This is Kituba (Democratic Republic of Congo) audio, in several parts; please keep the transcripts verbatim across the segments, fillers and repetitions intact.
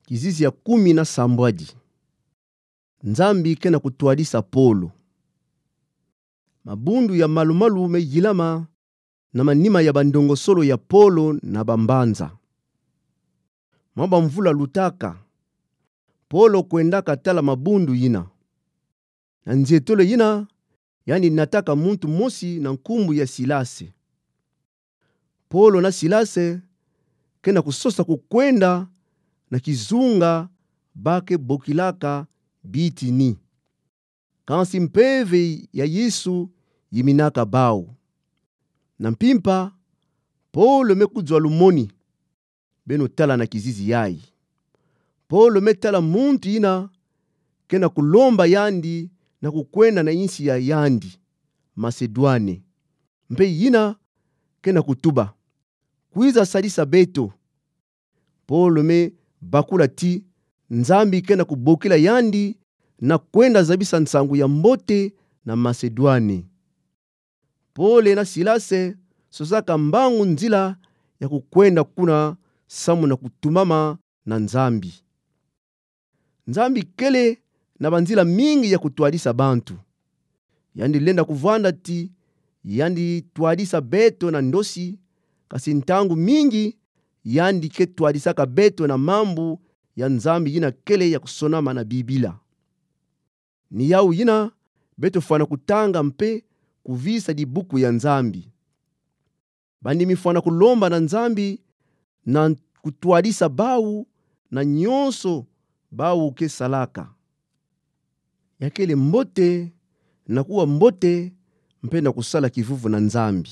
Kizizi ya kumi na sambwadi. Nzambi ke na kutwadisa Polo. Mabundu ya malu-malu me yilama na manima ya bandongosolo ya Polo na bambanza. Mwa bamvula lutaka, Polo kwendaka tala mabundu yina. Na nzietolo yina, yandi nataka muntu mosi na nkumbu ya Silase. Polo na Silase ke na kusosa kukwenda na kizunga ba ke bokilaka Bitini. Kansi Mpeve ya Yesu yiminaka bau. Na mpimpa, Polo me kuzwa lumoni. Beno tala na kizizi yayi. Polo me tala muntu yina ke na kulomba yandi na kukwenda na insi ya yandi, Masedwane. Mpe yina ke na kutuba: Kwiza sadisa beto. Polo me bakula ti Nzambi ke na kubokila yandi na kwenda zabisa nsangu ya mbote na Masedwane. Polo na Silase sosaka mbangu nzila ya kukwenda kuna samu na kutumama na Nzambi. Nzambi kele na banzila mingi ya kutwadisa bantu. Yandi lenda kuvwanda ti yandi twadisa beto na ndosi, kasi ntangu mingi yandi ke twadisaka beto na mambu ya Nzambi yina kele ya kusonama na Bibila. Ni yawu yina beto fwana kutanga mpe kuvisa dibuku ya Nzambi. Bandimi fwana kulomba na Nzambi na kutwadisa bawu na nyonso bawu ke salaka. Ya kele mbote na kuwa mbote mpe na kusala kivuvu na Nzambi,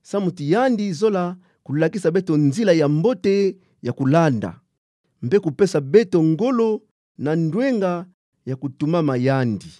samu ti yandi zola kulakisa beto nzila ya mbote ya kulanda, mpe kupesa beto ngolo na ndwenga ya kutumama yandi.